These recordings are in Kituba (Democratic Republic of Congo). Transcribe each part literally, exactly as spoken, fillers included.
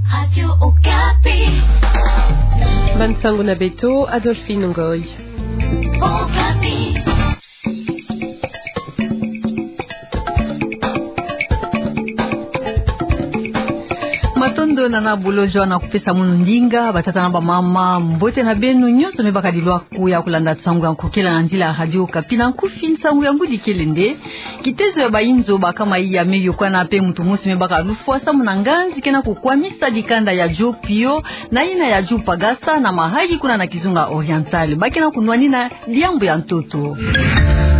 Radio Okapi. Bansangu na beto, Adolphine Ngoy. Okapi. Matondo nana bolo jua na kupesa munu ndinga, batata na bamama, mbote na beno nyonso me bakadi lwaku ya kulanda nsangu ya nkokela na nzila ya Radio Okapi. Na nkufi, nsangu ya ngudi kele nde: kitezo ya bainzo bakama iya me yokana pe muntu mosi me baka lufwa samu na nganzi ke na kukwamisa dikanda ya Djo Pio na yina ya Djo Pagasa na Mahagi kuna na Kizunga Oriental. Ba ke na kunwanina diambu ya ntoto.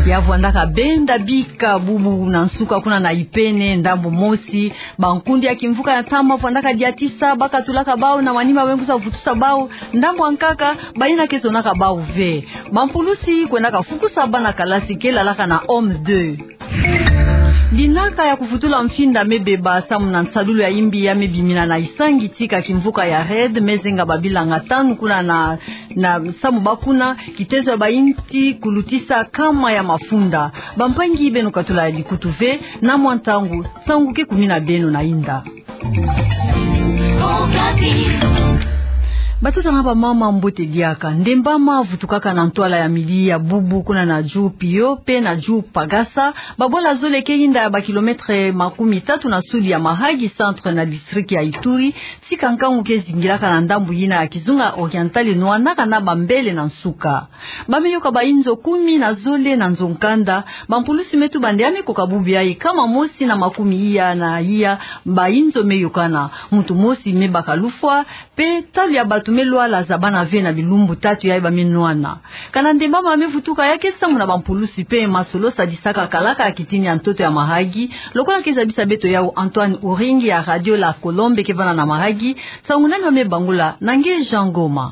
Ya vwandaka benda bika bubu na nsuka kuna na Ipene, ndambu mosi, bankundi ya kimvuka ya ntama vwandaka diatisa bakatulaka bau na manima me kwiza vutusa bau. Ndambu ya nkaka, bayina ke zonaka bau ve. Bampulusi kwendaka fukusa bana kalasi ke lalaka na Home deux. Dinaka ya kuvutula mfinda me beba samu na nsadulu ya imbi ya me bimina na Isangi Tika, kimvuka ya REDD me zenga babilanga tanu kuna na, na samu bakuna kitezo ya bainti kulutisa kama ya mafunda. Bampangi, beno katula ya likutu ve, na mwa ntangu, nsangu ke kumina beno na inda. Batata na bamama, mbote diaka. Ndembama vutukaka na ntwala ya midi ya bubu kuna na Djo Pio pe na Djo Pagasa, babwala zole ke inda ya bakilometre makumi tatu na sudi ya Mahagi Centre na district ya Ituri, tika nkangu ke zingilaka na ndambu yina ya Kizunga Oriental, nwanaka na bambele na nsuka. Ba me yoka bainzo kumi na zole na nzo nkanda, bampulusi me tuba nde ya me koka bubu yayi kama mosi na makumi iya na iya bainzo me yokana. Muntu mosi me baka lufwa, pe talu ya batu me lwala, za bana ve na bilumbu tatu yayi ba me nwana. Kana ndembama me vutuka, ya ke samu na bampulusi pe masolo sadisaka kalaka ya kitini ya ntoto ya Mahagi, lokola ke zabisa beto yau Antoine Uringi ya Radio La Colombe ke vanda na Mahagi. Nsangu nani wa me bangula na nge Jean Ngoma.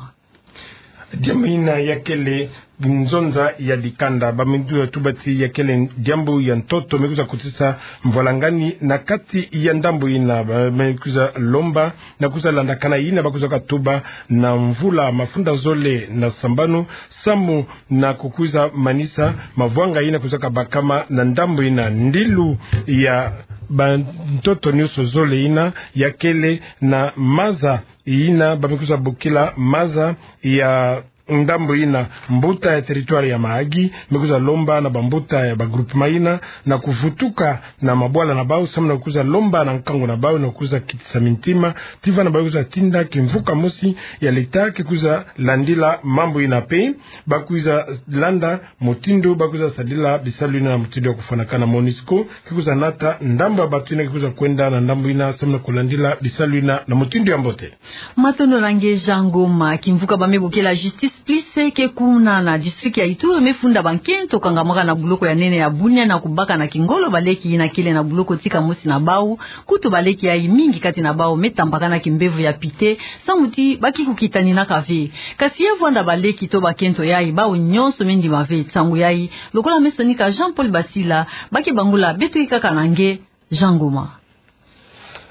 Diambu yina ya kele nzonza ya dikanda, ba me kwiza tuba ti ya kele diambu ya ntoto me kwiza kotisa mvwalangani na kati ya ndambu yina. Ba me kwiza lomba na kwiza landakana yina ba kwizaka tuba na mvula mafunda zole na sambanu, samu na kukwiza manisa mavwanga yina kwizaka bakama na ndambu yina. Ndilu ya bantoto nyonso zole yina ya kele na maza yina ba me kwiza bokila maza ya ndambu yina. Mbuta ya territoire ya Mahagi me kwiza lomba na bambuta ya bagroupement yina na kuvutuka na mabwala na bau, samu na kwiza lomba na nkangu na bau na kwiza kitisa mintima, ti vana ba kwiza tinda kimvuka mosi ya leta ke kwiza landila mambu yina pe ba kwiza landa mutindu ba kwiza sadila bisalu yina na mutindu ya kufwanakana. Monusco ke kwiza nata ndambu ya batu yina ke kwiza kwenda na ndambu yina samu na kulandila bisalu yina na mutindu ya mbote. Matondo na nge Jean Ngoma. Kimvuka ba me bokila Justice Plus ke kuna na district ya Ituri me funda bankento kangamaka na buloko ya nene ya Bunia na kubaka na kingolo baleki yina kele na buloko tika mosi na bau. Kutu baleki yayi mingi kati na bau me tambakana kimbevo ya pite, samu ti ba ke kukitaninaka ve. Kasi ya vwanda baleki to bakento yayi, bau nyonso me ndima ve. Nsangu yayi, lokola me sonika Jean Paul Basila, ba ke bangula. Beto kaka na nge Jean Ngoma.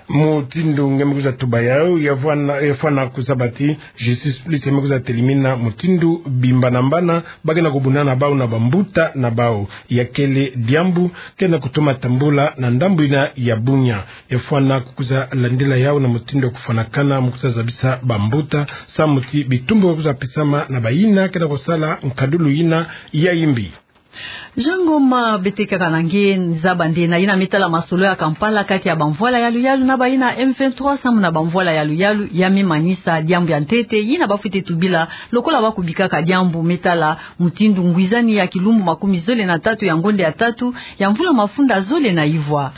Mutindu nge me kwiza tuba yau, ya vwanda, ya fwana kuzaba ti Justice Plus me kwiza telimina mutindu bimbana mbana ba ke na kubuna na bau na bambuta na bau. Ya kele diambu ke na kutoma tambula na ndambu yina ya Bunia. Ya fwana kukwiza landila yau na mutindu ya kufwanakana, mu kwiza zabisa bambuta samu ti bitumbu ba kwiza pesama na bayina ke na kusala nkadulu yina ya imbi. Jean Ngoma, beto kaka na nge. Nzabande na yina me tala masolo ya Kampala kati ya bamvwala ya luyalu na bayina M vingt-trois, samu na bamvwala ya luyalu ya me manisa diambu ya ntete yina ba fwete tubila, lokola ba kubikaka diambu me tala mutindu ngwizani ya kilumbu makumi zole na tatu ya ngonda ya tatu ya mvula mafunda zole na ivwa.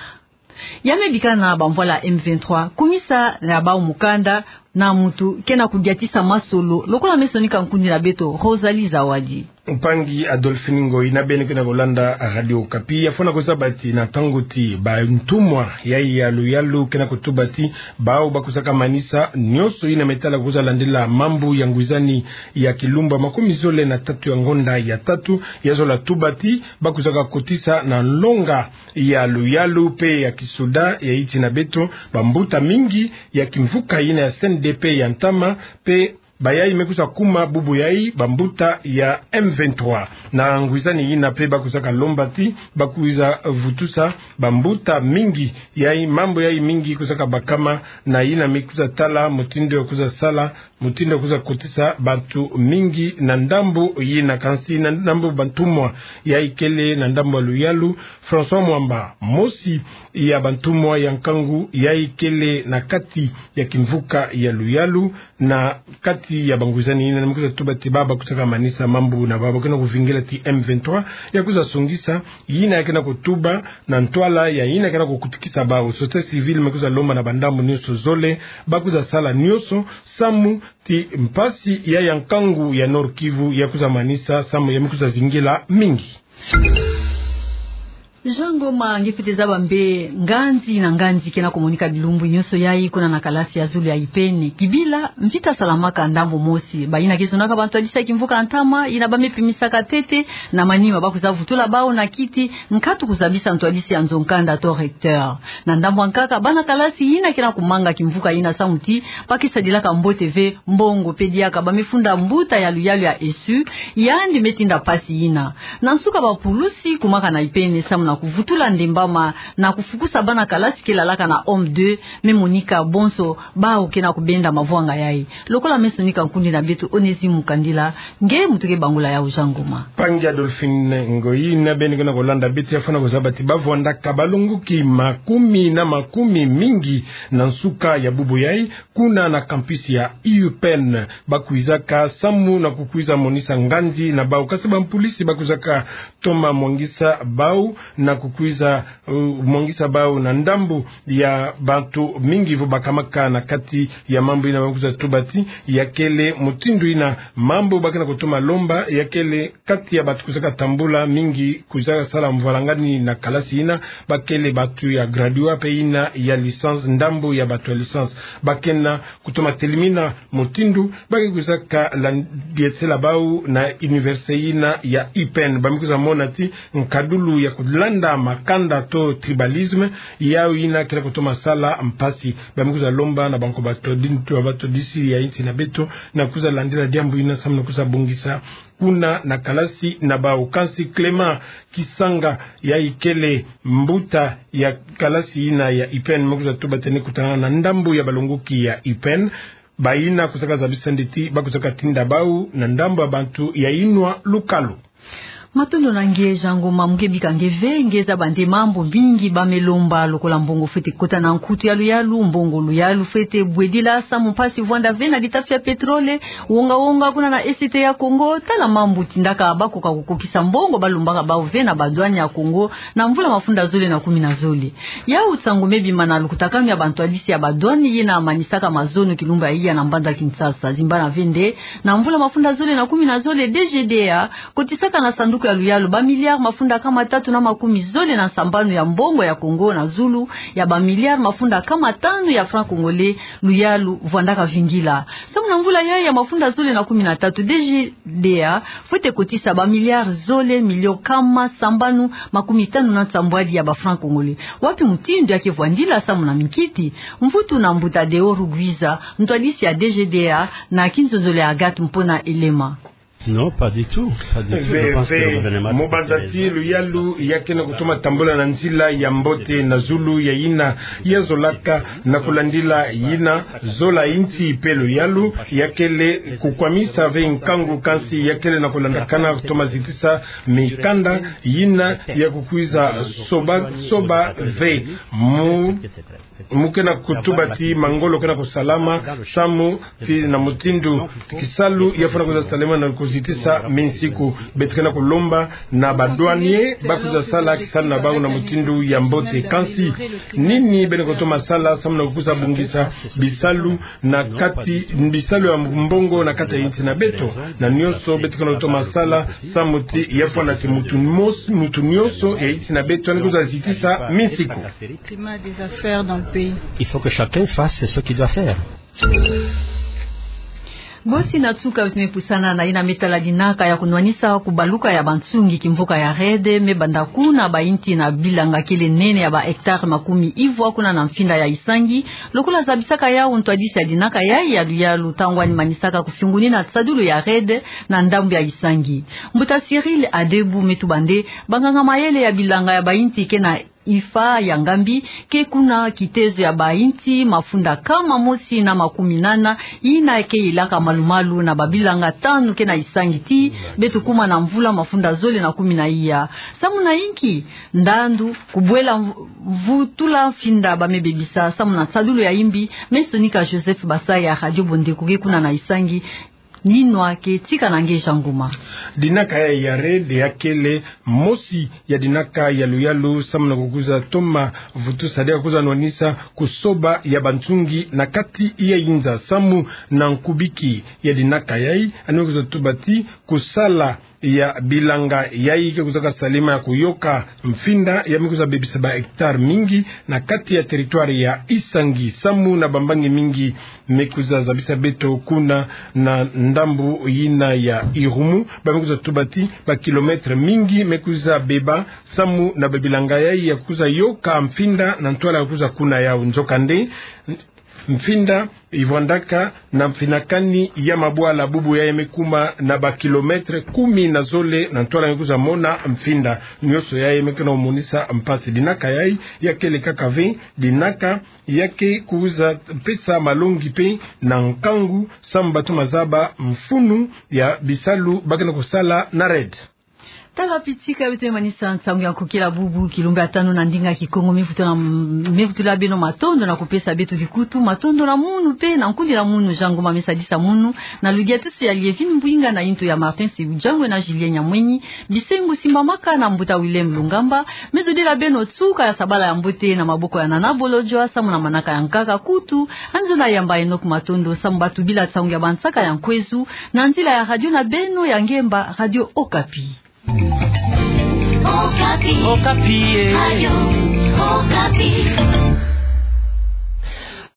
Ya me bikana bamvwala M vingt-trois, kumisa ya bau mukanda na muntu ke na kudiatisa masolo, lokola me sonika nkundi na beto Rosalie Zawadi. Mpangi Adolphine Ngoyi na beno ke na kulanda Radio Okapi, ya fwana kuzaba ti na ntangu ti bantumwa ya, ya luyalu ke na kutuba ti bau ba kwizaka manisa nyonso yina me tala kwiza landila mambu ya ngwizani ya kilumbu makumi zole na tatu ya ngonda ya tatu, ya zola tuba ti ba kwizaka kotisa na nlonga ya luyalu pe ya kisoda ya insi na beto bambuta mingi ya kimvuka yina ya C N D P ya ntama, pe bayai me kwiza kuma bubu yai bambuta ya M vingt-trois. Na ngwizani yina pe ba kwizaka lomba ti ba kwiza vutusa bambuta mingi, yai mambu yai mingi kwizaka bakama, na yina me kwiza tala mutindu ya kwiza sala, mutindu ya kwiza kotisa bantu mingi na ndambu yina, kansi na ndambu bantumwa yai kele na ndambu ya luyalu. François Mwamba, mosi ya bantumwa ya nkangu yai kele na kati ya kimvuka ya luyalu, na kati ya bangwizani yina, na me kwiza tuba ti bau ba kwizaka manisa mambu na bau, ba kena kuvingila ti M vingt-trois ya kwiza songisa yina ya kena kutuba na ntwala ya yina ya kena kukutikisa bau. Société civile me kwiza lomba na bandambu nionso zole ba kwiza sala nionso samu ti mpasi ya ya nkangu ya Nord-Kivu ya kwiza manisa samu ya me kwiza zingila mingi. Jean Ngoma, nge fwete zaba mbe nganzi na nganzi kena kumonika bilumbu nionso yai kuna na kalasi ya zulu ya IPN. Kibila, mvita salamaka ndambu mosi. Bayina ke zonaka bantwadisi ya kimvuka ya ntama, yina ba me pimisaka ntete, na manima ba kwiza vutula bau na kiti, nkatu kuzabisa ntwadisi ya nzo-nkanda to recteur. Na ndambu ya nkaka, bana kalasi yina kena kumanga kimvuka yina samu ti ba ke sadilaka mbote ve mbongo, pe diaka ba me funda mbuta ya luyalu ya ESSU, yandi me tinda mpasi yina. Na nsuka, bapulusi kumaka na IPN samu na kuvutula ndembama na kufukusa bana kalasi ke lalaka na home deux, me monika bonso bau kena kubenda mavwanga yai. Lokola me sonika nkundi na beto Onésime Mukandila, nge mutuke bangula yau, Jean Ngoma. Mpangi Adolphine Ngoyi, na beno kena kulanda beto, ya fwana kuzaba ti ba vwandaka balongoki makumi na makumi mingi na nsuka ya bubu yai, kuna na campus ya IPN. Ba kwizaka samu na kukwiza monisa nganzi na bau, kansi bampulisi ba kwizaka toma mwangisa bau na kukwiza, uh, mwangisa bau na ndambu ya bantu mingi vo bakamaka na kati ya mambu yina. Ba me kwiza tuba ti ya kele mutindu yina mambu ba kena kutoma lomba, ya kele kati ya bantu kwizaka tambula mingi, kwizaka sala mvwalangani na kalasi yina, ba kele bantu ya graduat pe yina ya licence, ndambu ya bantu ya licence. Ba kena kutoma telimina mutindu ba ke kwizaka landietela bau na université yina ya IPN. Ba me kwiza mona ti nkadulu ya kulanda makanda to tribalisme, yau yina kena kutoma sala mpasi. Ba me kwiza lomba na banko batodi-, batodisi ya insi na beto na kwiza landila diambu yina samu na kwiza bongisa kuna na kalasi na bau. Kansi Clément Kisanga, yai kele mbuta ya kalasi yina ya IPN, me kwiza tuba ti yandi kutana na ndambu ya balongoki ya IPN, bayina kwizaka zabisa nde ti ba kwizaka tinda bau na ndambu ya bantu ya inwa lukalu. Matondo na nge, Jean Ngoma. Mu ke bika nge ve, nge zaba nde mambu mingi ba me lomba, lokola mbongo fwete kota na nkutu ya luyalu, mbongo luyalu fwete bwedila samu mpasi vwanda ve na bitafi ya pétrole, wonga-wonga kuna na Est ya Congo. Tala mambu tindaka bakoka kukokisa mbongo ba lombaka bau ve na ba douane ya Congo na mvula mafunda zole na kumi na zole. Yau nsangu me bima na lukutakanu ya bantwadisi ya ba douane yina manisaka mazono kilumbu ya iya na mbanza Kinshasa. Zimbana ve nde, na mvula mafunda zole na kumi na zole, DGDA kotisaka na sanduku ya luyalu ba milliards mafunda kama tatu na makumi zole na sambanu ya mbongo ya Congo na zulu ya ba milliards mafunda kama tanu ya francs congolais luyalu vwandaka vingila. Samu na mvula yayi ya mafunda zole na kumi na tatu, DGDA fwete kotisa ba milliards zole, millions kama sambanu makumi tanu na nsambwadi ya ba francs congolais. Wapi mutindu ya ke vwandila samu na minkiti? Mvutu na mbuta Deo Rugwiza, ntwadisi ya DGDA, na kinzonzolo ya Agathe Mpona Elema. Non, pas du tout. Pas du tout. Je pense que le gouvernement... Ve, ve. Mu banza ti luyalu ya kena kutoma tambula na nzila ya mbote na zulu ya yina ya zolaka, na kulandila yina zola insi pe luyalu ya kele kukwamisa ve nkangu, kansi ya kele na kulandakana kutoma zitisa mikanda yina ya kukwiza soba, soba ve. Mu Mu kena kutuba ti mangolo kena kusalama, samu ti na mutindu ti kisalu ya fwana kwiza salama na kuzitisa minsiku. Beto kena kulomba na ba douaniers ba kwiza sala kisalu na bau na mutindu ya mbote. Kansi, nini beno kutoma sala samu na kwiza bongisa bisalu na kati, bisalu ya mbongo na kati ya insi na beto? Na nionso beto kena kutoma sala samu ti ya fwana ti mutu mos-, mutu nionso ya insi na beto yandi kwiza zitisa minsiku. Climat des affaires dans le pays. Il faut que chacun fasse ce qu'il doit faire. Bosi na tuka beto me pusana na yina me tala dinaka ya kunwanisa kubaluka ya bansungi kimvuka ya REDD, me banda kuna ba inti na bilanga kele nene ya ba hectare makumi ivwa kuna na mfinda ya Isangi, lokola zabisaka yau ntwadisi ya dinaka yayi ya luyalu ntangu ani manisaka kufiungunina sadulu ya REDD na ndambu ya Isangi. Mbuta Cyril Adebu me tuba nde banganga mayele ya bilanga ya ba inti ke na IFA ya Ngambi ke kuna kitezo ya ba inti mafunda nkama mosi na makumi nana, yina ke ilaka malumalu na ba bilanga tanu ke na Isangi tii beto kuma na mvula mafunda zole na kumi na iya. Samu na inki? Ndandu kubwela mvu-, mvutula mfinda ba me bebisa. Samu na sadulu ya imbi, me sonika Joseph Basaya, Radio Bondeko ke kuna na Isangi, ni nwa ke tika na nge Jean Ngoma. Dinaka yayi ya REDD ya kele mosi ya dinaka ya luyalu samu na kukuza toma vutusa de kukuza nwanisa kusoba ya bansungi na kati ya inza samu na nkubiki ya dinaka yayi, ani kukuza tuba ti kusala ya bilanga yayi ke kuzaka salima ya kuyoka mfinda ya me kuza bebisa ba hectare mingi na kati ya territoire ya Isangi samu na bambangi mingi me kuza zabisa beto kuna na ndambu yina ya Irumu. Ba me kuza tuba ti ba kilomètre mingi me kuza beba samu na ba bilanga yayi ya kuza yoka mfinda na ntwala ya kuza kuna yau. Nzokande, mfinda ivwandaka na mfinakani ya mabwala, bubu yayi me kuma na ba kilomètre kumi na zole na ntwala ya kuza mona mfinda. Nionso yayi me ke na monisa mpasi. Dinaka yayi ya kele kaka ve dinaka ya ke kuza pesa malongi pe na nkangu samu bato mazaba mfunu ya bisalu ba ke na kusala na REDD. Tala pitika beto me manisa nsangu ya nkokila bubu kilumbu ya tanu na ndinga Kikongo. Me vutula, me vutula beno matondo na kupesa beto dikutu. Matondo na munu pe na nkundi na munu Jean Ngoma me sadisa munu, na ludia tusu ya Lievine Mbwinga na yinto ya Martin Sebujangwe na Julien Nyamweni. Bisengo simbamaka na mbuta Willem Lungamba. Me zodila beno tuka ya sabala ya mbote na maboko ya Nana Bolodjwa samu na manaka ya nkaka kutu. Anzona yamba Enoch Matondo samu ba tubila nsangu ya bansaka ya nkwezu na nzila ya radio na beno ya ngemba, Radio Okapi. Okapi. Okapi, eh. Radio Okapi.